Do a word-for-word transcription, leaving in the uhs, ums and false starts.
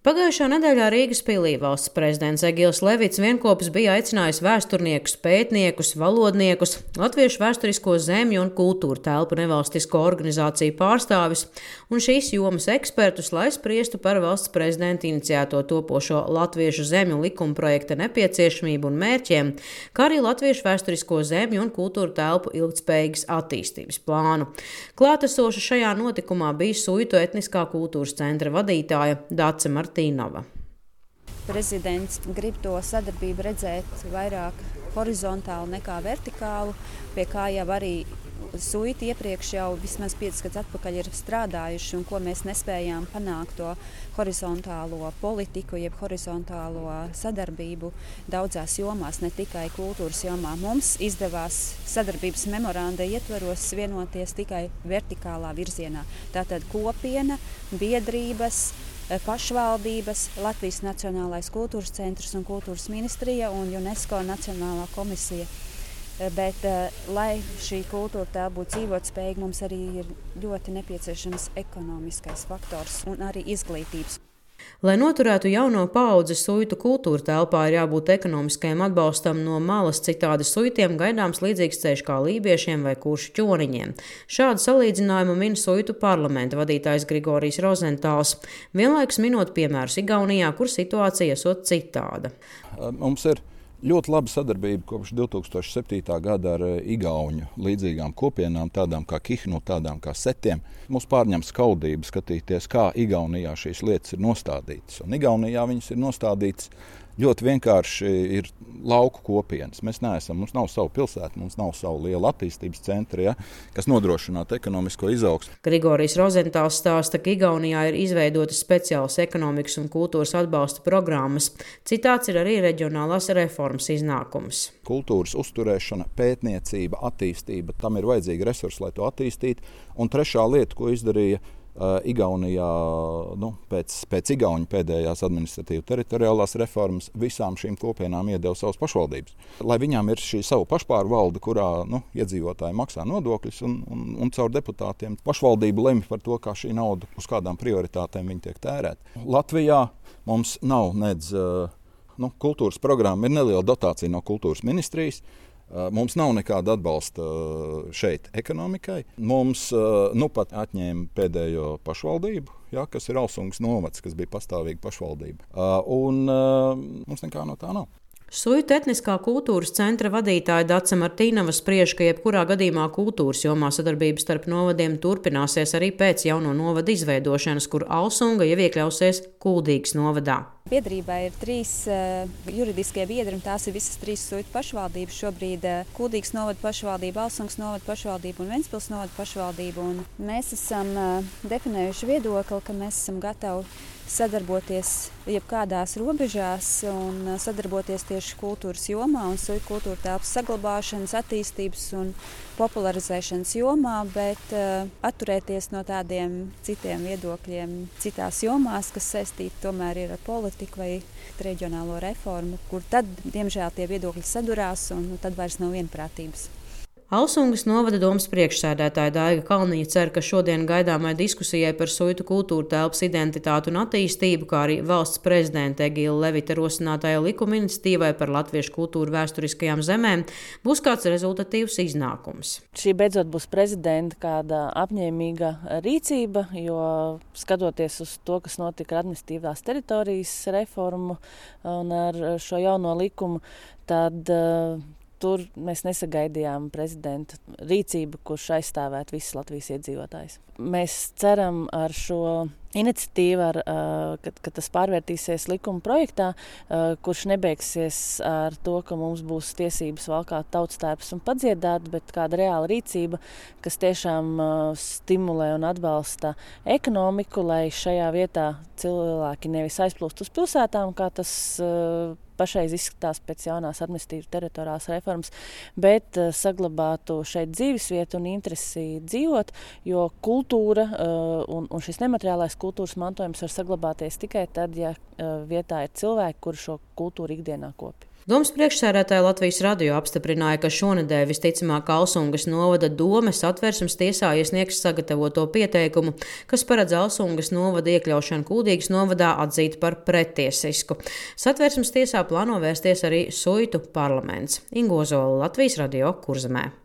Pagājušā nedēļā Rīgas pilī valsts prezidents Egils Levits vienopus bija aicinājis vēsturniekus, pētniekus, valodniekus, latviešu vēsturisko zemju un kultūru telpu nevalstisko organizāciju pārstāvis un šīs jomas ekspertus, lai spriestu par valsts prezidenta iniciēto topošo latviešu zemju likuma projekta nepieciešamību un mērķiem, kā arī latviešu vēsturisko zemju un kultūru telpu ilgtspējīgas attīstības plānu. Klātesoša šajā notikumā bija Suitu etniskā kultūras centra vadītāja Dace Martīnova. Prezidents grib to sadarbību redzēt vairāk horizontālu nekā vertikālu, pie kā jau arī Suiti iepriekš jau vismaz piecus gadus atpakaļ ir strādājuši un ko mēs nespējām panākt to horizontālo politiku, jeb horizontālo sadarbību daudzās jomās, ne tikai kultūras jomā. Mums izdevās sadarbības memoranda ietvaros vienoties tikai vertikālā virzienā. Tātad kopiena, biedrības, pašvaldības, Latvijas Nacionālais kultūras centrs un kultūras ministrija un UNESCO Nacionālā komisija. Bet, lai šī kultūra tā būtu dzīvotspējīga, mums arī ir ļoti nepieciešams ekonomiskais faktors un arī izglītības. Lai noturētu jauno paudzi Suitu kultūra telpā, ir jābūt ekonomiskajam atbalstam no malas, citādi Suitiem gaidāms līdzīgs ceļš kā lībiešiem vai kuršu ķoniņiem. Šādu salīdzinājumu min Suitu parlamenta vadītājs Grigorijs Rozentāls, vienlaikus minot piemērus Igaunijā, kur situācija esot citāda. Mums ir ļoti laba sadarbība kopš divi tūkstoši septītā gada ar igauņu līdzīgām kopienām, tādām kā Kihnu, tādām kā Setiem. Mums pārņem skaudību skatīties, kā Igaunijā šīs lietas ir nostādītas. Un Igaunijā viņas ir nostādītas ļoti vienkārši, ir lauku kopienas. Mēs neesam, mums nav savu pilsētu, mums nav savu lielu attīstības centru, ja, kas nodrošinātu ekonomisko izaugsmu. Grigorijs Rozentāls stāsta, ka Igaunijā ir izveidotas speciālas ekonomikas un kultūras atbalsta programmas. Citāts ir arī reģionālās reformas iznākums. Kultūras uzturēšana, pētniecība, attīstība, tam ir vajadzīgi resursi, lai to attīstītu. Un trešā lieta, ko izdarīja Uh, Igaunijā, nu, pēc, pēc Igauņu pēdējās administratīvu teritoriālās reformas, visām šīm kopienām iedeva savas pašvaldības. Lai viņām ir šī savu pašpārvalde, kurā nu, iedzīvotāji maksā nodokļus un, un, un caur deputātiem pašvaldība lemj par to, kā šī nauda, uz kādām prioritātēm viņa tiek tērēta. Latvijā mums nav nedz uh, nu, kultūras programma, ir neliela dotācija no kultūras ministrijas. Mums nav nekāda atbalsta šeit ekonomikai. Mums nu pat atņēma pēdējo pašvaldību, ja, kas ir Alsungas novads, kas bija pastāvīga pašvaldība. Un mums nekā no tā nav. Suitu etniskā kultūras centra vadītāja Dace Martīnova spriež, ka jebkurā gadījumā kultūras jomā sadarbības starp novadiem turpināsies arī pēc jauno novadu izveidošanas, kur Alsunga jau iekļausies Kuldīgas novadā. Biedrībā ir trīs uh, juridiskie biedri, un tās ir visas trīs Suitu pašvaldības. Šobrīd uh, Kuldīgas novada pašvaldība, Alsungas novada pašvaldība un Ventspils novada pašvaldība. Un mēs esam uh, definējuši viedokli, ka mēs esam gatavi sadarboties jebkādās robežās un sadarboties tieši kultūras jomā un Suitu kultūra telpas saglabāšanas, attīstības un popularizēšanas jomā, bet uh, atturēties no tādiem citiem viedokļiem citās jomās, kas saistīti tomēr ir ar politiku vai reģionālo reformu, kur tad, diemžēl, tie viedokļi sadurās un nu, tad vairs nav vienprātības. Alsungas novada domas priekšsēdētāja Daiga Kalniņa cer, ka šodien gaidāmai diskusijai par Suitu kultūra telpas identitātu un attīstību, kā arī valsts prezidenta Egila Levita rosinātajai likuma iniciatīvai par latviešu kultūru vēsturiskajām zemēm, būs kāds rezultatīvs iznākums. Šī beidzot būs prezidenta kāda apņēmīga rīcība, jo skatoties uz to, kas notika ar administratīvās teritorijas reformu un ar šo jauno likumu, tad tur mēs nesagaidījām prezidenta rīcību, kurš aizstāvētu visus Latvijas iedzīvotājus. Mēs ceram ar šo iniciatīvu, ar, kad, kad tas pārvērtīsies likuma projektā, kurš nebeigsies ar to, ka mums būs tiesības valkāt tautstērpus un padziedāt, bet kāda reāla rīcība, kas tiešām stimulē un atbalsta ekonomiku, lai šajā vietā cilvēki nevis aizplūst uz pilsētām, kā tas pašreiz izskatās pēc jaunās administratīvas teritoriālās reformas, bet uh, saglabātu šeit dzīvesvietu un interesi dzīvot, jo kultūra uh, un, un šis nemateriālais kultūras mantojums var saglabāties tikai tad, ja uh, vietā ir cilvēki, kuri šo kultūru ikdienā kopi. Domas priekšsēdētāja Latvijas radio apstiprināja, ka šonedēļ visticamāk Alsungas novada dome Satversmes tiesā iesniegs sagatavoto pieteikumu, kas paredz Alsungas novada iekļaušanu Kuldīgas novadā atzīt par prettiesisku. Satversmes tiesā plāno vērsties arī Suitu parlaments. Inga Ozola, Latvijas radio, Kurzemē.